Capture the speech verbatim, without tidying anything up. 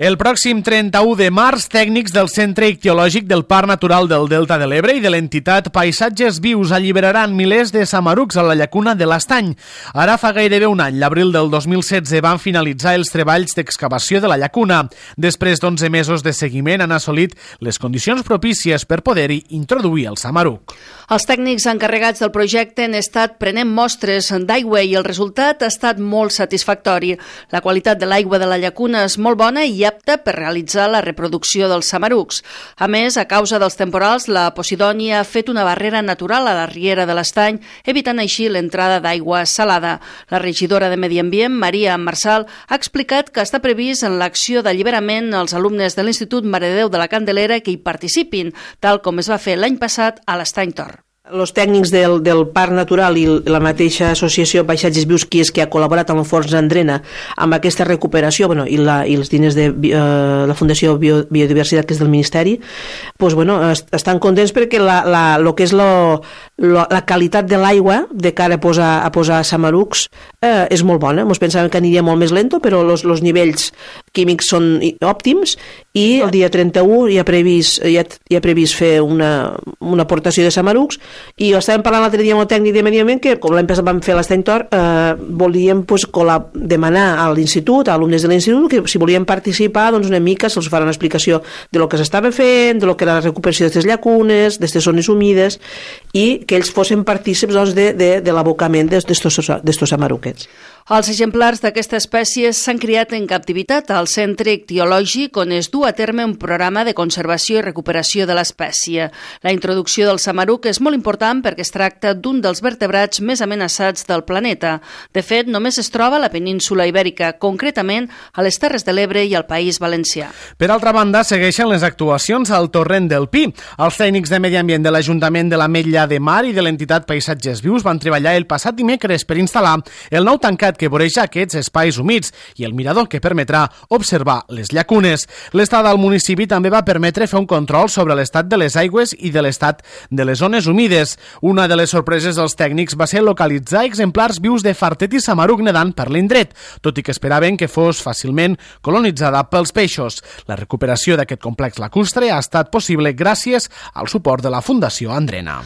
El pròxim trenta-u de març, tècnics del Centre Ictiològic del Parc Natural del Delta de l'Ebre i de l'entitat Paisatges Vius alliberaran milers de samarucs a la llacuna de l'Estany. Ara fa gairebé un any, l'abril del dos mil setze, van finalitzar els treballs d'excavació de la llacuna. Després d'onze mesos de seguiment han assolit les condicions propícies per poder-hi introduir el samaruc. Els tècnics encarregats del projecte han estat prenent mostres d'aigua i el resultat ha estat molt satisfactori. La qualitat de l'aigua de la llacuna és molt bona i apta per realitzar la reproducció dels samarucs. A més, a causa dels temporals, la Posidònia ha fet una barrera natural a la riera de l'Estany, evitant així l'entrada d'aigua salada. La regidora de Medi Ambient, Maria Marsal, ha explicat que està previst en l'acció d'alliberament els alumnes de l'Institut Mare de Déu de la Candelera que hi participin, tal com es va fer l'any passat a l'Estany Tor. Els tècnics del, del Parc Natural i la mateixa associació Paisatges Vius, qui és que ha col·laborat amb el Fons Andrena amb aquesta recuperació, bueno, i, la, i els diners de eh, la Fundació Bio, Biodiversitat, que és del Ministeri, pues, bueno, est estan contents perquè la, la, lo que és lo, lo, la qualitat de l'aigua de cara a posar, a posar samarucs eh, és molt bona. Ens pensàvem que aniria molt més lento, però els nivells químics són òptims i el dia trenta-u hi ha previst, hi ha, hi ha previst fer una, una aportació de samarucs. I estàvem parlant l'altre dia amb el tècnic de Medi Ambient que, com l'any passat vam fer l'Estany Tor, eh, volíem pues, demanar a l'institut, a alumnes de l'institut, que si volien participar, doncs una mica se'ls farà una explicació de lo que s'estava fent, de lo que era la recuperació d'aquestes llacunes, d'aquestes zones humides, i que ells fossin partícips doncs, de, de, de l'abocament d'estos samaruquets. Els exemplars d'aquesta espècie s'han criat en captivitat al Centre Ictiològic, on es du a terme un programa de conservació i recuperació de l'espècie. La introducció del samaruc és molt important perquè es tracta d'un dels vertebrats més amenaçats del planeta. De fet, només es troba a la península Ibèrica, concretament a les Terres de l'Ebre i al País Valencià. Per altra banda, segueixen les actuacions al Torrent del Pi. Els tècnics de Medi Ambient de l'Ajuntament de l'Ametlla de Mar i de l'entitat Paisatges Vius van treballar el passat dimecres per instal·lar el nou tancat que voreja aquests espais humits i el mirador que permetrà observar les llacunes. L'estada al municipi també va permetre fer un control sobre l'estat de les aigües i de l'estat de les zones humides. Una de les sorpreses dels tècnics va ser localitzar exemplars vius de fartet i samaruc nedant per l'indret, tot i que esperaven que fos fàcilment colonitzada pels peixos. La recuperació d'aquest complex lacustre ha estat possible gràcies al suport de la Fundació Andrena.